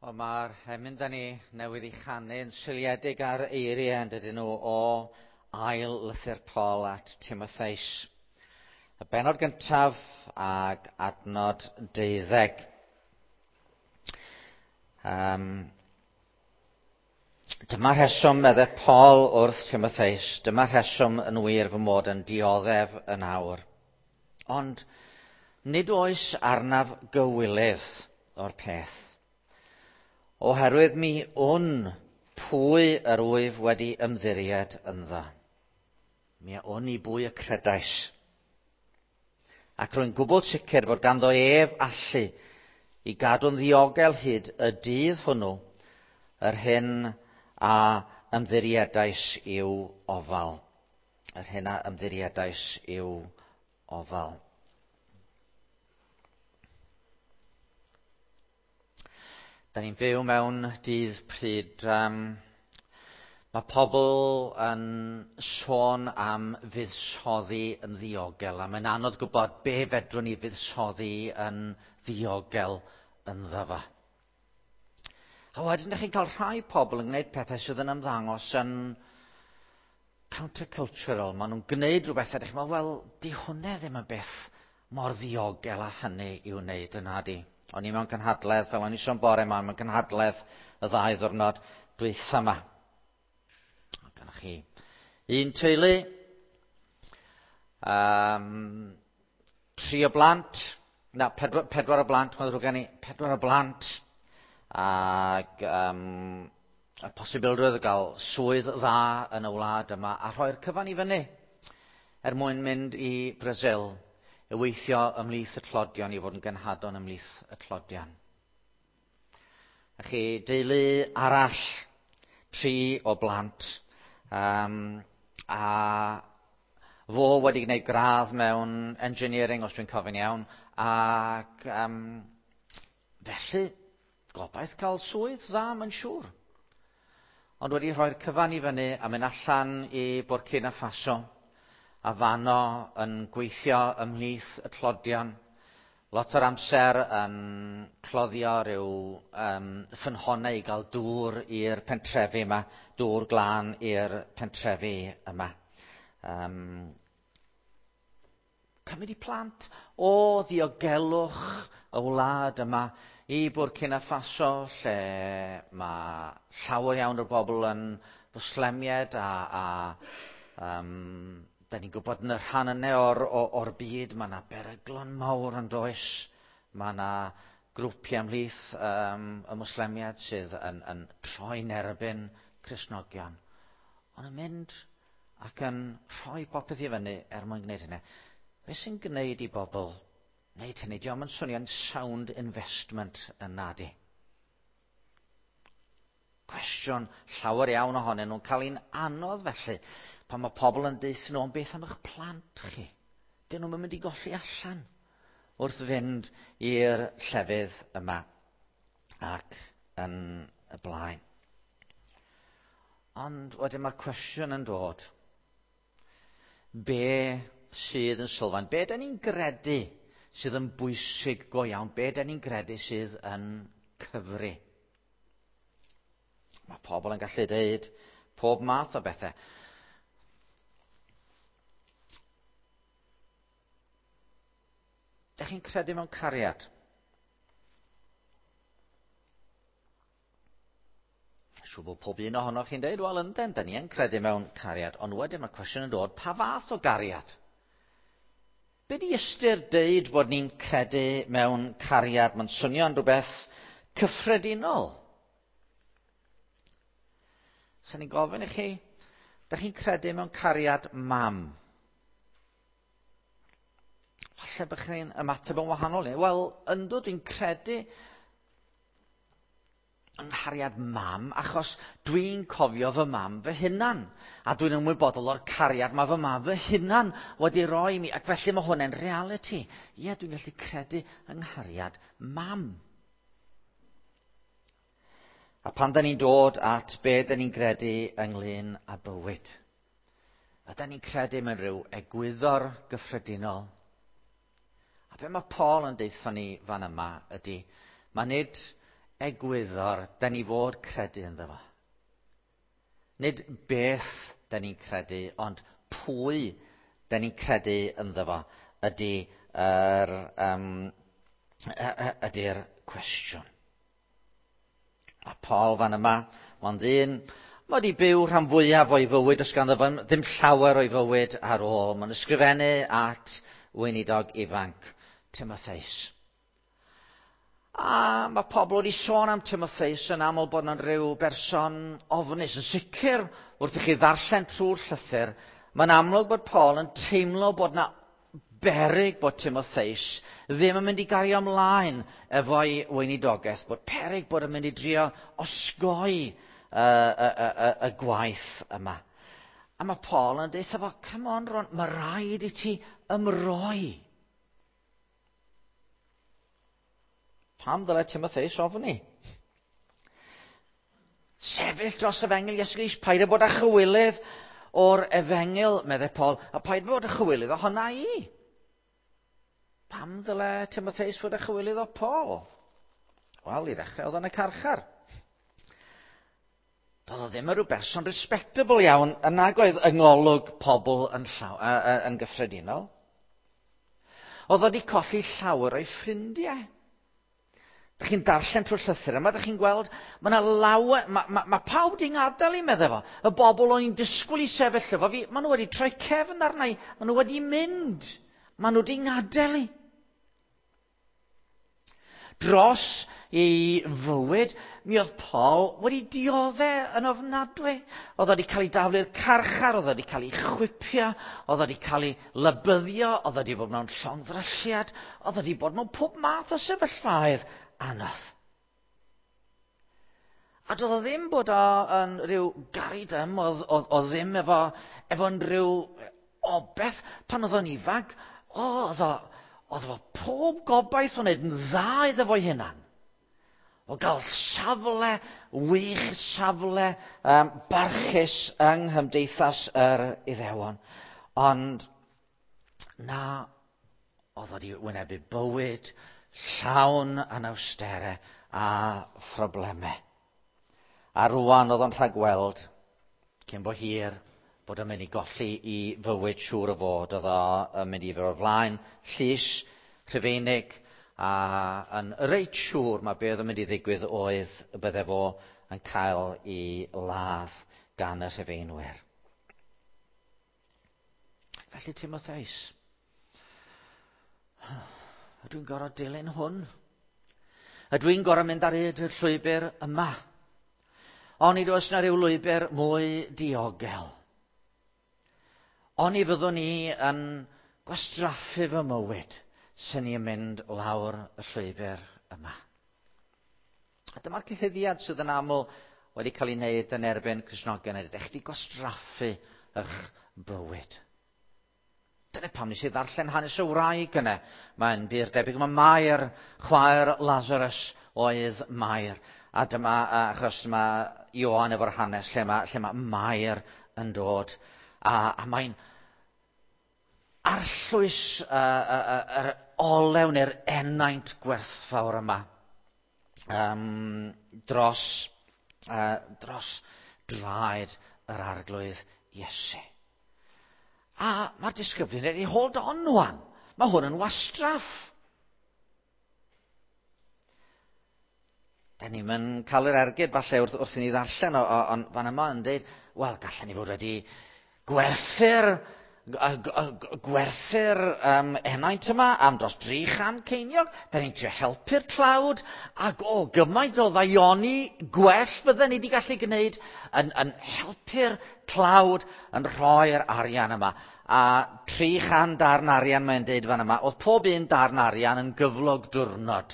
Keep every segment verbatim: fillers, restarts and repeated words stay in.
Wel, mae'r emyn da ni newydd ei chanu yn seiliedig ar eiriau yn dydyn nhw o ail lythyr Paul at Timotheus. Y bennod gyntaf ag adnod deuddeg. Um, dyma rheswm, meddai Paul wrth Timotheus, dyma rheswm yn wir fy mod yn dioddef yn awr. Ond nid oes arnaf gywilydd o'r peth. Oherwydd mi wn pwy yr wyf wedi ymddiried ynddo. Mi a wn i bwy y credais. Ac rwy'n gwbl sicr fod ganddo ef allu i gadw'n ddiogel hyd y dydd hwnnw yr hyn a ymddiriedais i'w ofal. Yr hyn a ymddiriedais i'w ofal. Da ni'n byw mewn dydd pryd um, mae pobl yn sôn am fuddsoddi yn ddiogel, a mae'n anodd gwybod be fedrwn ni fuddsoddi yn ddiogel ynddo fo. A wedyn ydych chi'n cael rhai pobl yn gwneud pethau sydd yn ymddangos yn countercultural. Maen nhw'n gwneud rhywbeth a ydych chi'n meddwl, wel, di hwnna ddim yn beth mor ddiogel â hynny i'w wneud yna di. O'n i mewn cynhadledd, fel o'n i sôn bore yma, mewn cynhadledd y ddau ddwrnod dwytha yma. Gynnoch chi un teulu, um, tri o blant, na, pedwar, pedwar o blant, mae'n ddrwg gen i, pedwar o blant, ac um, y posibilrwydd o gael swydd dda yn y wlad yma, a rhoi'r cyfan i fyny er mwyn mynd i Brasil i weithio ymhlith y tlodion, i fod yn genhadon ymhlith y tlodion. A chi deulu arall, tri o blant, um, a fo wedi gwneud gradd mewn engineering, os dwi'n cofio'n iawn, ac um, felly gobaith cael swydd dda, mae'n siŵr. Ond wedi rhoi'r cyfan i fyny a mynd allan i Burkina Faso, a fano yn gweithio ymhlith y tlodion. Lot o'r amser yn cloddio rhyw um, ffynhonnau i gael dŵr i'r pentrefi yma, dŵr glân i'r pentrefi yma. Um, cymryd i plant o ddiogelwch y wlad yma i Burkina Faso, lle mae llawer iawn o'r bobl yn Fwslemiaid a, a um, da ni'n gwybod yn y rhan yna o'r, o'r byd, mae yna beryglon mawr yn does. Mae yna grwpiau ymhlith um, y Mwslemiaid sydd yn, yn troi'n erbyn Cristnogion. Ond yn mynd ac yn rhoi popeth i fyny er mwyn gwneud hynny. Be sy'n gwneud i bobl wneud hynny? Dio'm yn swnio'n sound investment yn nadi. Cwestiwn llawer iawn ohonyn nhw'n cael un anodd felly. Pan mae pobl yn deutha nhw, ond beth am eich plant chi? Dyn nhw'n mynd i golli allan wrth fynd i'r llefydd yma ac yn y blaen. Ond wedyn mae'r cwestiwn yn dod. Be sydd yn sylfaen? Be da ni'n gredu sydd yn bwysig go iawn? Be da ni'n gredu sydd yn cyfri? Mae pobl yn gallu deud pob math o bethau. Dych chi'n credu mewn cariad? Siŵr bod pob un ohonoch chi'n deud, wel ynden, da ni yn credu mewn cariad. Ond wedyn mae'r cwestiwn yn dod, pa fath o gariad? Be di ystyr deud bod ni'n credu mewn cariad? Mae'n swnio'n rhywbeth cyffredinol. Sa'n ni'n gofyn i chi, dych chi'n credu mewn cariad mam? Falle bych chi'n ymateb yn wahanol. Wel, yndw, dwi'n credu yng nghariad mam, achos dwi'n cofio fy mam fy hunan. A dwi'n ymwybodol o'r cariad mae fy mam fy hunan wedi roi mi, ac felly mae hwnna'n reality. Ie, dwi'n gallu credu yng nghariad mam. A pan da ni'n dod at be da ni'n credu ynglyn â bywyd, a da ni'n credu mewn rhyw egwyddor gyffredinol. A be mae Paul yn deutha ni fan yma ydy, mae nid egwyddor da ni fod credu ynddo fo. Nid beth da ni'n credu, ond pwy da ni'n credu ynddo fo ydy yr, um, ydy'r cwestiwn. A Paul fan yma, mae'n ddyn, mae wedi byw rhan fwyaf o'i fywyd, os ganddo fo ddim llawer o'i fywyd ar ôl. Mae'n ysgrifennu at weinidog ifanc, Timotheus. A mae pobl wedi sôn am Timotheus yn aml bod yna'n rhyw berson ofnus. Yn sicr, wrth i chi ddarllen trwy'r llythyr, mae'n amlwg bod Paul yn teimlo bod yna beryg bod Timotheus ddim yn mynd i gario ymlaen efo'i weinidogaeth, bod peryg bod yn mynd i drio osgoi y, y, y, y, y gwaith yma. A mae Paul yn dweud fo, come on Ron, mae rhaid i ti ymroi. Pam ddylai Timotheus ofni? Sefyll dros efengyl Iesu Grist, paid â bod â chywilydd o'r efengyl, meddai Paul, a paid â bod â chywilydd ohona i. Pam ddylai Timotheus fod â chywilydd o Paul? Wel, i ddechrau oedd yn y carchar. Doedd o ddim yn rhyw berson respectable iawn, yn nag oedd yng ngolwg pobl yn, llaw, uh, yn gyffredinol. Oedd o wedi colli llawer o'i ffrindiau. Dych chi'n darllen trwy'r llythyr yma, dych chi'n gweld, mae yna lawer, mae ma, ma pawb di'n gadael i, meddai fo. Y bobl o'n i'n disgwyl i sefyll efo fi, maen nhw wedi troi cefn arna i, maen nhw wedi mynd, maen nhw wedi ngadael i. Dros ei fywyd, mi oedd Paul wedi dioddef yn ofnadwy. Oedd wedi cael ei daflu'r carchar, oedd wedi cael ei chwipio, oedd wedi cael ei lybyddio, oedd wedi bod mewn llongddrylliad, oedd wedi bod mewn pob math o sefyllfaoedd anodd. A doedd o ddim bod o yn rhyw garidym, oedd, oedd, oedd ddim efo, efo rhyw obeth pan oedd o'n ifanc. O, oedd o, oedd efo pob gobaith o wneud yn dda iddo fo'i hunan. O gael safle, wych safle um, barchus yng nghymdeithas yr Iddewon. Ond na, oedd wedi wynebu bywyd llawn anawsterau a phroblemau. A rwan oedd o'n rhagweld, cyn bo hir, bod o'n mynd i golli i fywyd siŵr o fod. Oedd o'n mynd i fod o flaen llys Rhufeinig, a yn reit siŵr mae be oedd yn mynd i ddigwydd oedd y bydde fo yn cael ei ladd gan y Rhufeinwyr. Felly Timotheus, ydw i'n gorfod dilyn hwn? Ydw i'n gorfod mynd ar hyd y llwybr yma? Onid oes na ryw lwybr mwy diogel? Oni fyddwn ni yn gwastraffu fy mywyd sy'n ni'n mynd lawr y llwybr yma? A dyma'r cyhuddiad sydd yn aml wedi cael ei wneud yn erbyn Cristnogion. Ydych chi gwastraffu eich bywyd? Dyna pam nes i ddarllen hanes y wraig yna. Mae'n bur debyg mae Mair, chwaer Lazarus, oedd Mair. A dyma, achos mae Ioan efo'r hanes lle mae, lle mae Mair yn dod. A, a mae'n arllwys uh, uh, uh, yr olew neu'r enaint gwerthfawr yma um, dros, uh, dros draed yr Arglwydd Iesu. A mae'r disgyblion wedi hold on wan. Mae hwn yn wastraff. Da ni'n mynd cael yr ergyd falle wrth, wrth i ni ddarllen, ond fan yma yn dweud, wel, gallen ni fod wedi gwerthu'r gwerthu'r um, enaint yma am dros dri chan ceiniog. Da ni'n trio helpu'r tlawd, ac o gymaint o ddaioni gwell fydden ni wedi gallu gwneud yn, yn helpu'r tlawd yn rhoi'r arian yma. A tri chan darn arian mae'n deud fan yma, oedd pob un darn arian yn gyflog diwrnod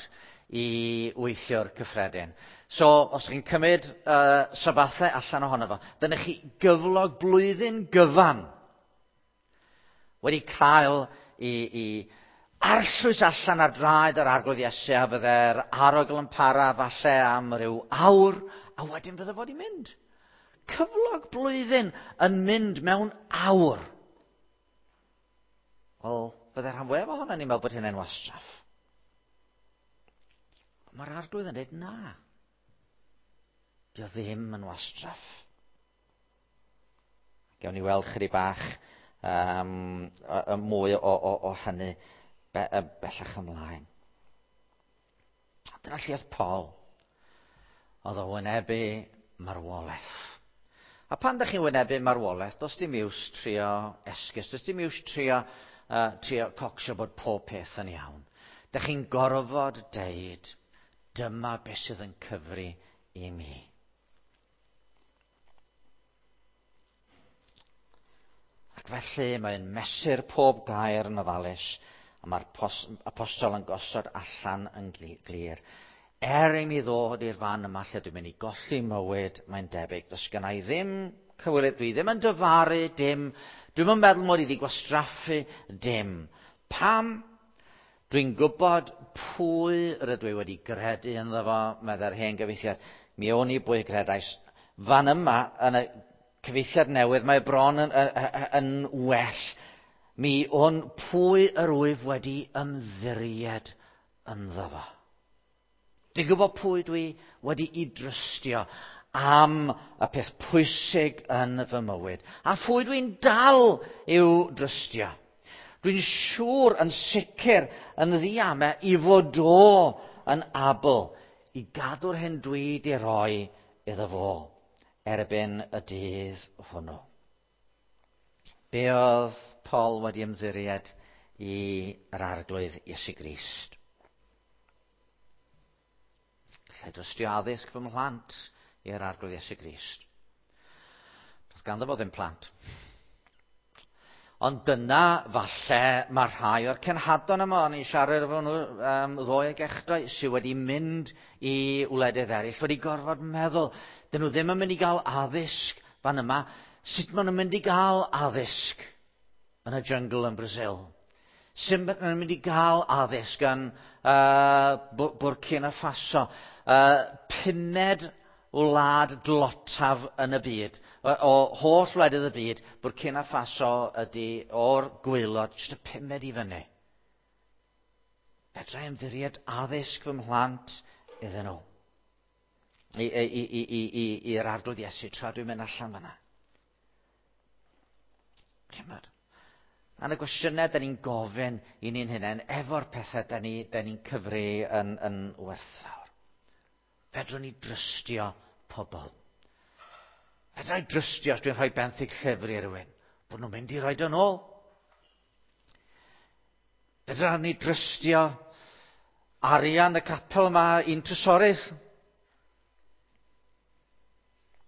i weithio'r cyffredin. So, os chi'n cymryd uh, sabathau allan ohono fo, dyna chi gyflog blwyddyn gyfan wedi cael i, i arllwys allan ar draed yr Arglwydd Iesu, a fydde'r arogl yn para falle am ryw awr, a wedyn fydde fod i mynd. Cyflog blwyddyn yn mynd mewn awr. Wel, fydde rhan fwyaf ohono ni'n meddwl bod hynny'n wastraff. Mae'r Arglwydd yn dweud na. Dio ddim yn wastraff. Gewn ni weld chydig bach um, mwy o, o, o hynny be, bellach ymlaen. Dyna lle oedd Paul. Oedd o wynebu marwolaeth. A pan ydych chi'n wynebu marwolaeth, does dim iws trio esgus, does dim iws trio, uh, trio cocsio bod pob peth yn iawn. Dych chi'n gorfod deud, dyma beth sydd yn cyfri i mi. Ac felly mae'n mesur pob gair yn ofalus, a mae'r apostol yn gosod allan yn glir. Er i mi ddod i'r fan yma lle dwi'n mynd i golli mywyd, mae'n debyg. Does gynna i ddim cywilydd, dwi ddim yn dyfaru dim, dwi'm yn meddwl mod i wedi gwastraffu dim. Pam? Dwi'n gwybod pwy rydw i wedi gredu ynddo fo, meddai'r hen gyfieithiad. Mi o'n i bwy gredais. Fan yma, yn y cyfieithiad newydd, mae bron yn, yn, yn well. Mi o'n pwy yr wyf wedi ymddiried ynddo fo. Dwi'n gwybod pwy dwi wedi i drystio am y peth pwysig yn fy mywyd. A phwy dwi'n dal i'w drystio. Dwi'n siŵr yn sicr yn ddiamau i fod o yn abl i gadw'r hyn dwi di roi iddo fo erbyn y dydd hwnnw. Be oedd Paul wedi ymddiried i'r Arglwydd Iesu Grist? Gallai drystio addysg fy mhlant i'r Arglwydd Iesu Grist. Does ganddo fo ddim plant. Ond dyna falle mae rhai o'r cenhadon yma, o'n i'n siarad efo nhw um, ddoe ag echddoe, sydd wedi mynd i wledydd eraill, wedi gorfod meddwl, dyn nhw ddim yn mynd i gael addysg fan yma. Sut maen nhw'n mynd i gael addysg yn y jungle yn Brazil? Sut maen nhw'n mynd i gael addysg yn uh, Burkina Faso? Uh, pumed wlad dlotaf yn y byd. O, o holl wledydd y byd, Burkina Faso ydy o'r gwaelod, jyst y pumed i fyny. Fedra i ymddiried addysg fy mhlant iddyn nhw. I, i, i, i, i, i'r Arglwydd Iesu tra dwi'n mynd allan fanna. Chimod? A'n y gwestiynau da ni'n gofyn i ni'n hunain efo'r pethau da ni'n ni, ni cyfri yn, yn werthfawr. Fedrwn ni drystio pobl. Fedra i drystio os dwi'n rhoi benthyg llyfr i rywun, bod nhw'n mynd i roi yn ôl. Fedra ni drystio arian y capel yma i'n trysorydd.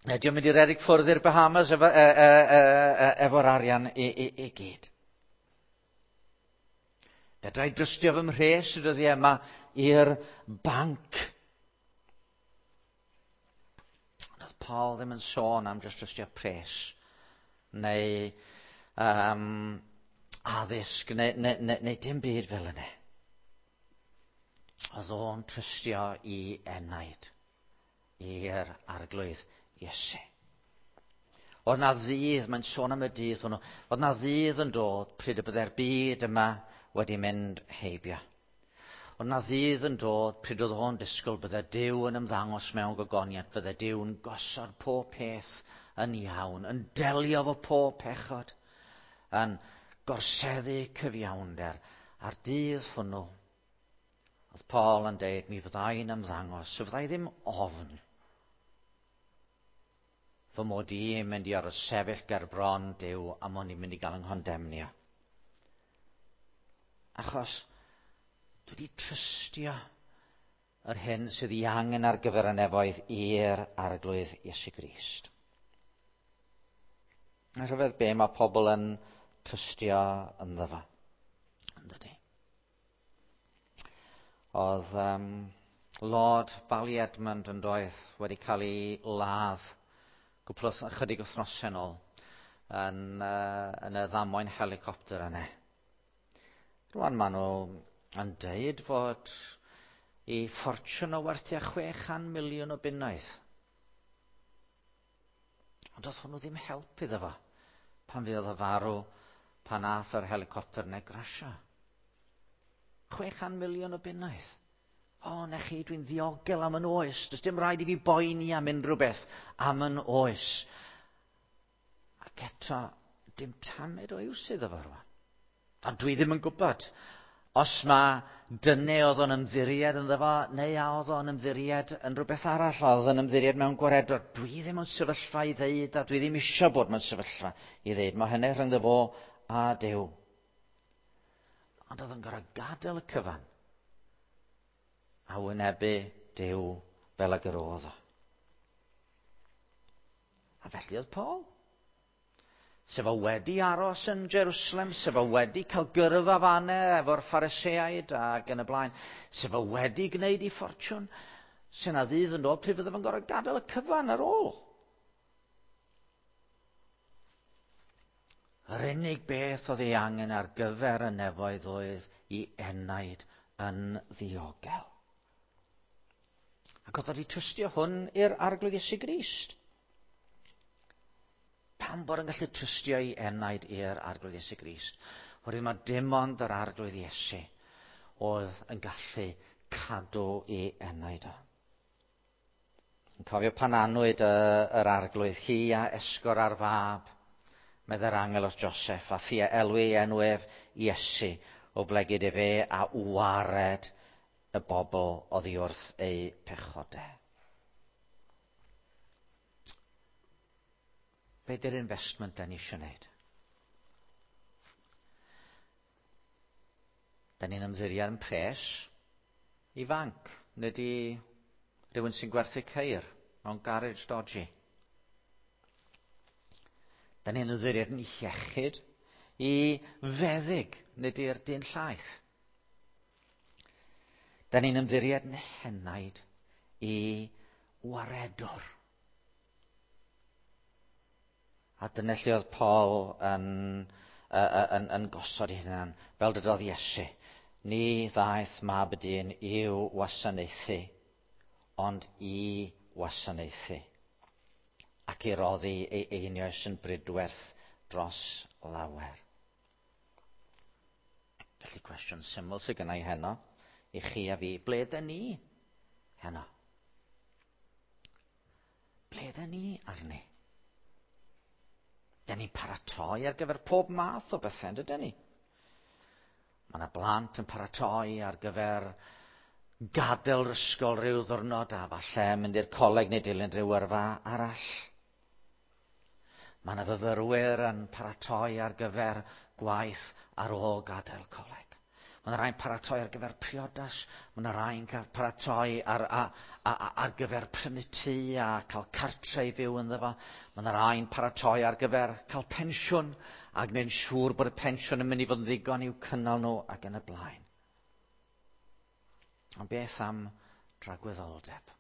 Ydy o'n mynd i redeg ffwrdd i'r Bahamas efo, e, e, e, e, efo'r arian i, i, i gyd. Fedra i drystio fy mhres y dyddiau yma i'r banc. Ond oedd Paul ddim yn sôn am jyst drystio pres neu um, addysg neu, neu, neu, neu dim byd fel yna. Oedd o'n trystio i enaid i'r Arglwydd Iesu. Oedd na ddydd, mae'n sôn am y dydd hwnnw, oedd na ddydd yn dod pryd y byddai'r byd yma wedi mynd heibio. Oedd na ddydd yn dod pryd oedd o'n disgwyl byddai Duw yn ymddangos mewn gogoniant, byddai Duw yn gosod pob peth yn iawn, yn delio efo pob pechod, yn gorseddu cyfiawnder. A'r dydd hwnnw, oedd Paul yn deud, mi fyddai'n ymddangos, so fyddai ddim ofn fy mod i'n mynd i orfod sefyll ger bron Duw a mod i'n mynd i gael yng nghondemnio. Achos dwi wedi trystio yr hyn sydd ei angen ar gyfer y nefoedd i'r Arglwydd Iesu Grist. A rhyfedd be mae pobl yn trystio ynddo fo. Yndydi? Oedd um, Lord Ballyedmond yn doedd wedi cael ei ladd gwpl o ychydig wythnosau nôl yn, uh, yn y ddamwain helicopter yna. Rwan maen nhw yn deud fod i ffortiwn o werth tua chwe chan miliwn o bunnoedd. Ond doedd hwnnw ddim help iddo fo pan fuodd o farw pan ath yr helicopter yna grasio. Chwe chan miliwn o bunnoedd. O, na chi, dwi'n ddiogel am yn oes. Does dim rhaid i fi boeni am unrhyw beth am yn oes. Ac eto, dim tamed o iws iddo fo rwan. Ond dwi ddim yn gwybod os mae dyne oedd o'n ymddiried ynddo fo, neu a oedd o'n ymddiried yn rhywbeth arall, oedd o'n ymddiried mewn gwaredwr. Dwi ddim yn sefyllfa i ddeud, a dwi ddim eisiau bod mewn sefyllfa i ddeud. Mae hynny rhyngddo fo a Duw. Ond oedd o'n gorfod gadael y cyfan a wynebu Duw fel ag yr oedd o. A felly oedd Paul. Sef o wedi aros yn Jerusalem, sef o wedi cael gyrfa fanne efo'r Phariseaid ac yn y blaen, sef o wedi gwneud ei ffortiwn, sy'n na ddydd yn dod pryd fydde fo'n gorfod gadael y cyfan ar ôl. Yr unig beth oedd ei angen ar gyfer y nefoedd oedd ei enaid yn ddiogel. Ac oedd wedi trystio hwn i'r Arglwydd Iesu Grist. Pam bod yn gallu trystio ei enaid i'r Arglwydd Iesu Grist? Oherwydd mae dim ond yr Arglwydd Iesu oedd yn gallu cadw ei enaid o. Yn cofio pan anwyd y, yr Arglwydd, hi a esgor ar fab, meddai'r angel wrth Joseph, a thi a elwi ei enw ef Iesu, o blegid efe a wared y bobl oddi wrth eu pechodau. Be di'r investment da ni eisiau gwneud? Da ni'n ymddiried yn pres i fanc, nid i rhywun sy'n gwerthu ceir mewn garage dodgy. Da ni'n ymddiried yn iechyd i feddyg, nid i'r dyn llaeth. Da ni'n ymddiried yn henaid i waredwr. A dyna lle oedd Paul yn, yn, yn, yn gosod ei hunan, fel dydodd Iesu. Ni ddaeth mab y dyn i'w wasanaethu, ond i wasanaethu. Ac i roddi ei einioes yn brydwerth dros lawer. Felly cwestiwn syml sydd gynna i heno, i chi a fi, ble dyn ni heno? Ble dyn ni arni? Dyn ni'n paratoi ar gyfer pob math o bethau, dydyn ni? Mae yna blant yn paratoi ar gyfer gadael yr ysgol rhyw ddwrnod a falle mynd i'r coleg neu dilyn rhyw yrfa arall. Mae yna fyfyrwyr yn paratoi ar gyfer gwaith ar ôl gadael coleg. Mae yna rhai'n paratoi ar gyfer priodas, mae yna rhai'n paratoi ar, a, a, a, ar gyfer prynu tŷ a cael cartre i fyw ynddo fo. Mae yna rhai'n paratoi ar gyfer cael pensiwn a gwneud yn siŵr bod y pensiwn yn mynd i fod yn ddigon i'w cynnal nhw ac yn y blaen. Ond beth am dragwyddoldeb?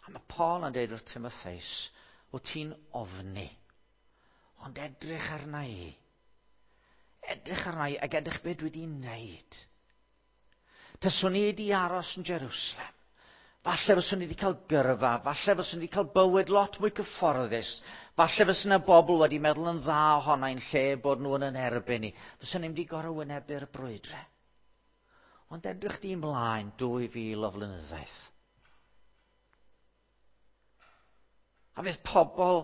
A mae Paul yn dweud wrth Timotheus, wyt ti'n ofni, ond edrych arna i. Edrych arna i ac edrych beth dwi wedi wneud. Taswn i wedi aros yn Jerusalem. Falle fyswn i wedi cael gyrfa, falle fyswn i wedi cael bywyd lot mwy cyfforddus. Falle fyswn yna bobl wedi meddwl yn dda ohona i'n lle bod nhw yn yn erbyn i. Fyswn i'n wedi gorfod wynebu'r brwydre. Ond edrych di ymlaen dwy fil o flynyddoedd. A fydd pobl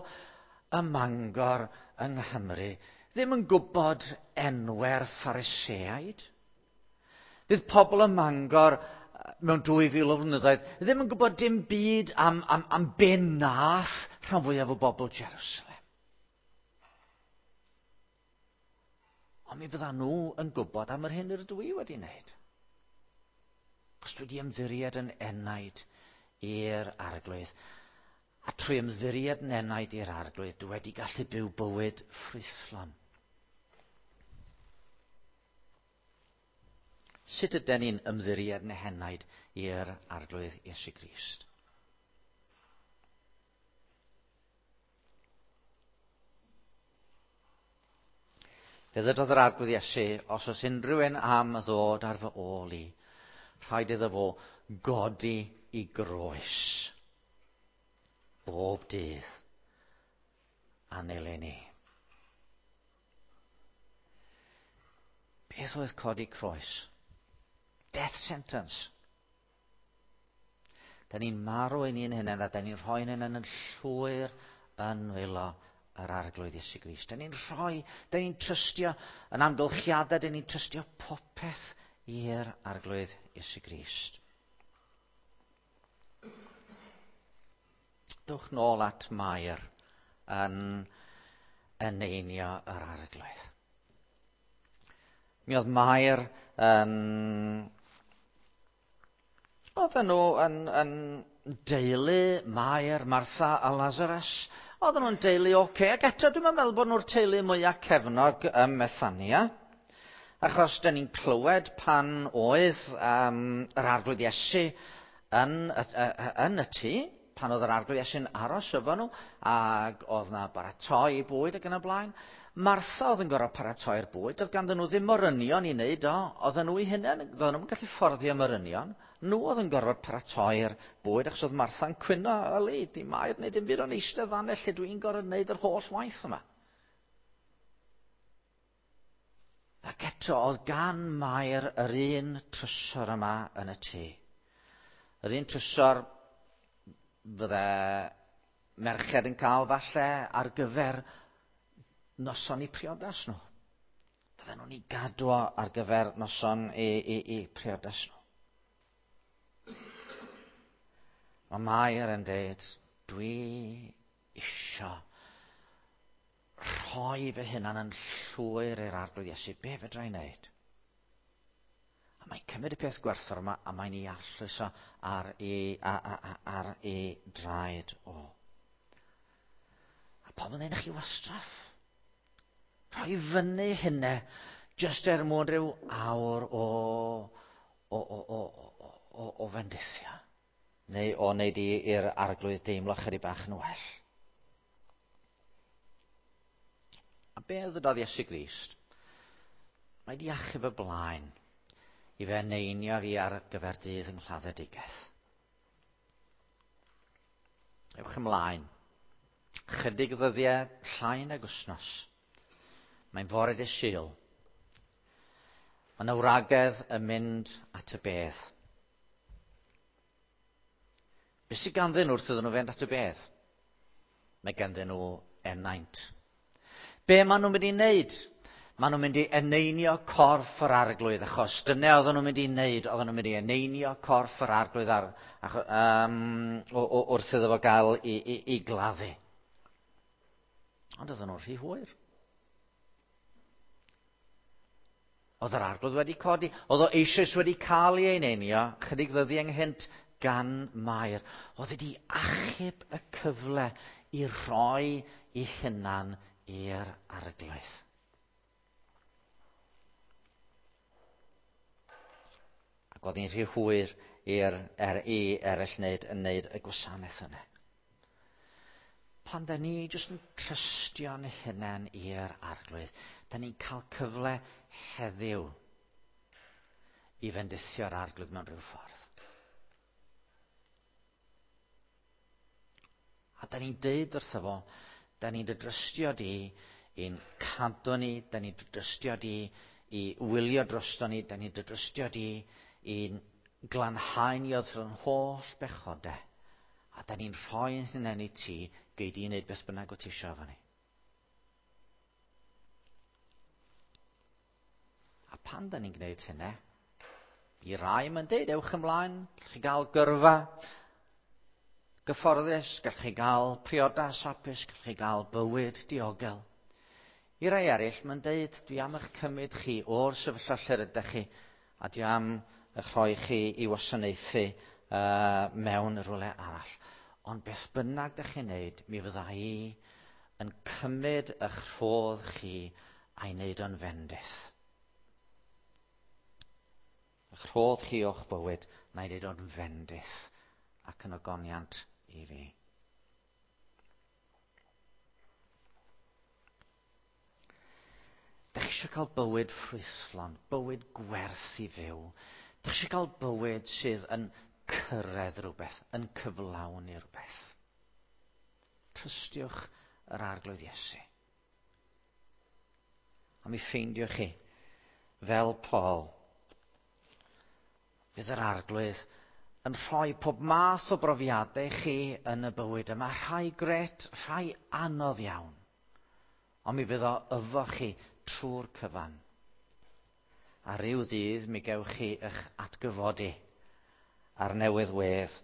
ym Mangor yng Nghymru ddim yn gwybod enwau'r Phariseaid. Fydd pobl ym Mangor mewn dwy fil o flynyddoedd ddim yn gwybod dim byd am, am, am be nath rhan fwyaf o bobl Jerusalem. Ond mi fyddan nhw yn gwybod am yr hyn yr ydw i wedi wneud. Achos dwi wedi ymddiried yn enaid i'r Arglwydd. A trwy ymddiried yn enaid i'r Arglwydd, dwi wedi gallu byw bywyd ffrwythlon. Sut ydyn ni'n ymddiried yn henaid i'r Arglwydd Iesu Grist? Fe ddydodd yr Arglwydd Iesu, os oes unrhyw un am ddod ar fy ôl i, rhaid iddo fo godi i groes bob dydd a nilyn i. Beth oedd codi croes? Death sentence. Da ni'n marw ein hun hunain a da ni'n rhoi ein hunain yn llwyr yn nwylo yr Arglwydd Iesu Grist. Da ni'n rhoi, da ni'n trystio yn amgylchiadau, da ni'n trystio popeth i'r Arglwydd Iesu Grist. Dwch nôl at Mair yn eneinio yr Arglwydd. Mi oedd Mair yn... Oedden nhw yn, yn deulu Mair, Martha a Lazarus. Oedden nhw'n deulu oce. Okay. Ac eto dwi'n meddwl bod nhw'r teulu mwyaf cefnog ym Methania. Achos dyn ni'n clywed pan oedd um, yr Arglwydd Iesu yn, yn y tŷ, pan oedd yr Arglwydd Iesu'n aros efo nhw, ac oedd na baratoi bwyd ac yn y blaen. Martha oedd yn gorfod paratoi'r bwyd, oedd ganddyn nhw ddim morynion i wneud o, oedden nhw eu hunain, oedden nhw'n gallu fforddio morynion. Nhw oedd yn gorfod paratoi'r bwyd, achos oedd Martha'n cwyno, yli, di Mair wneud dim byd o'n eistedd fan lle dwi'n gorfod wneud yr holl waith yma. Ac eto, oedd gan Mair yr un trysor yma yn y tŷ. Yr un trysor fydde merched yn cael falle ar gyfer noson i priodas nhw. Fydden nhw'n ei gadw ar gyfer noson i, i, i priodas nhw. Mae Mair yn dweud, dwi isio rhoi fy hunan yn llwyr i'r Arglwydd Iesu. Be fedra i wneud? A mae'n cymryd y peth gwerthfawr yma a mae'n ei arllwys o ar ei, a, a, a, ar ei draed o. A pobl yn dweud, chi wastraff. Rhoi fyny hynna jyst er mwyn rhyw awr o, o, o, o, o, o, o fendithio. Neu o wneud i'r Arglwydd deimlo chydig bach yn well. A be ddydodd Iesu Grist? Mae di achub y blaen i fe neinio fi ar gyfer dydd yng nghladdedigaeth. Ewch ymlaen. Chydig ddyddiau llai nag wythnos. Mae'n fore dydd Sul. Mae yna wragedd yn mynd at y bedd. Be sydd ganddyn nhw wrth iddyn nhw fynd at y bedd? Mae ganddyn nhw enaint. Be maen nhw'n mynd i wneud? Maen nhw'n mynd i eneinio corff yr Arglwydd, achos dyna oedden nhw'n mynd i wneud, oedden nhw'n mynd i eneinio corff yr Arglwydd ar, ach, um, o, o, wrth iddo fo gael i, i, i gladdu. Ond oedden nhw'n rhy hwyr. Oedd yr Arglwydd wedi codi, oedd o eisoes wedi cael ei eneinio, chydig ddyddiau ynghynt gan Mair. Oedd wedi achub y cyfle i roi ei hunan i'r Arglwydd. Ac oedd hi'n rhy hwyr i'r er, i eraill wneud, yn wneud y gwasanaeth yna. Pan da ni jyst yn trystio'n hunain i'r Arglwydd, da ni'n cael cyfle heddiw i fendithio'r Arglwydd mewn rhyw ffordd. A da ni'n deud wrtho fo, da ni'n dy drystio di i'n cadw ni, da ni'n dy drystio di i wylio drosto ni, da ni'n dy drystio di i'n glanhau ni oddi wrth holl bechodau. A da ni'n rhoi yn hunain i ti, gei di wneud beth bynnag wyt ti isio efo ni. A pan da ni'n gwneud hynna, i rai mae'n deud, ewch ymlaen, gallwch chi gael gyrfa gyfforddus, gallwch chi gael priodas hapus, gallwch chi gael bywyd diogel. I rai eraill mae'n deud, dwi am eich cymryd chi o'r sefyllfa lle rydych chi, a dwi am eich rhoi chi i wasanaethu uh, mewn rhywle arall. Ond beth bynnag dych chi'n neud, mi fydda i yn cymryd eich rhodd chi a'i wneud o'n fendith. Eich rhodd chi o'ch bywyd, na'i wneud o'n fendith ac yn ogoniant i fi. Dych chi eisiau cael bywyd ffrwythlon, bywyd gwerth i fyw. Dych chi eisiau cael bywyd sydd yn cyrraedd rhywbeth, yn cyflawni rhywbeth. Trystiwch yr Arglwydd Iesu. A mi ffeindiwch chi, fel Paul, Fydd yr Arglwydd yn rhoi pob math o brofiadau chi yn y bywyd yma. Rhai grêt, rhai anodd iawn. Ond mi fydd o efo chi trwy'r cyfan. A ryw ddydd mi gewch chi eich atgyfodi ar newydd wedd.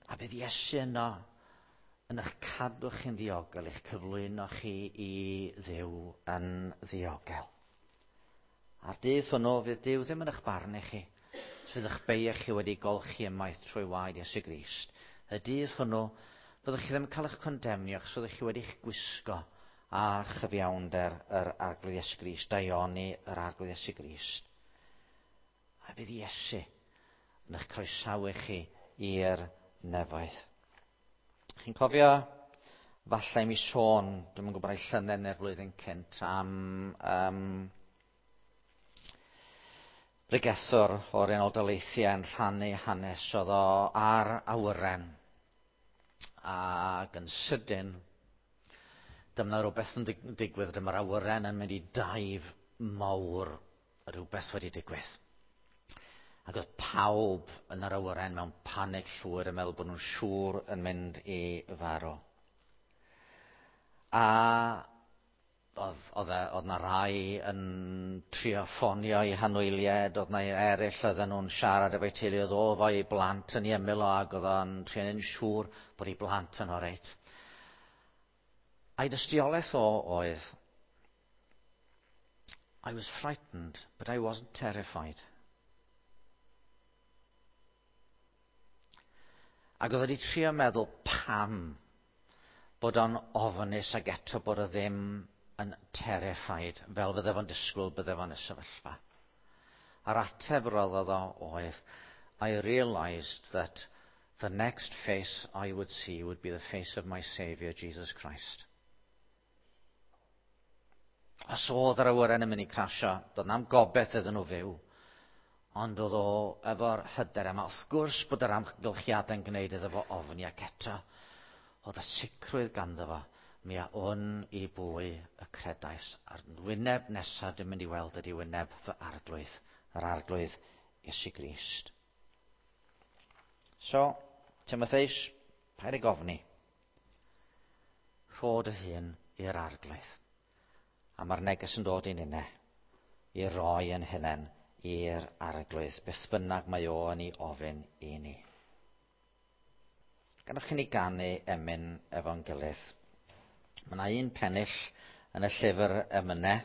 A fydd Iesu yno yn eich cadw chi'n ddiogel, eich cyflwyno chi i Dduw yn ddiogel. A'r dydd hwnnw fydd Duw ddim yn eich barnu chi. Fydd eich beiau chi wedi golchi ymaith trwy waed Iesu Grist. Y dydd hwnnw, byddwch chi ddim yn cael eich condemnio, achos fyddwch chi wedi'ch gwisgo â chyfiawnder yr Arglwydd Iesu Grist, daioni yr Arglwydd Iesu Grist. A fydd Iesu yn eich croesawu chi i'r nefoedd. Chi'n cofio, falle i mi sôn, dwi'm yn gwybod ai llynedd neu'r flwyddyn cynt, am um, bregethwr o'r Unol Daleithiau yn rhannu hanes oedd o ar awyren. Ac yn sydyn, dyma rhywbeth yn digwydd, dyma'r awyren yn mynd i dive mawr, rhywbeth wedi digwydd. Ac oedd pawb yn yr awyren mewn panig llwyr yn meddwl bod nhw'n siŵr yn mynd i farw. A oedd, oedd, e, oedd na rai yn trio ffonio i hanwyliaid, oedd na eraill oedden nhw'n siarad efo'i teulu, oedd o efo'i blant yn ei ymyl o ac oedd o'n trio yn siŵr bod ei blant yn oreit. A'i dystiolaeth o oedd, "I was frightened, but I wasn't terrified." Ac oedd wedi trio meddwl pam bod o'n ofnus ac eto bod o ddim yn terrified, fel fydde fo'n disgwyl bydde fo'n y sefyllfa. A'r ateb roddodd o oedd, "I realised that the next face I would see would be the face of my Saviour, Jesus Christ." Os oedd yr awyren yn mynd i crasio, doedd na'm gobeith iddyn nhw fyw. Ond oedd o efo'r hyder yma. Wrth gwrs bod yr amgylchiadau'n gwneud iddo fo ofni ac eto, oedd y sicrwydd ganddo fo, mi a wn i bwy y credais. A'r wyneb nesaf dwi'n mynd i weld ydy wyneb fy Arglwydd, yr Arglwydd Iesu Grist. So, Timotheus, paid ag ofni. Rho dy hun i'r Arglwydd. A mae'r neges yn dod i ninne, i roi yn hunain i'r Arglwydd, beth bynnag mae o yn ei ofyn i ni. Gadewch i ni ganu emyn efo'n gilydd. Mae yna un pennill yn y llyfr emynau.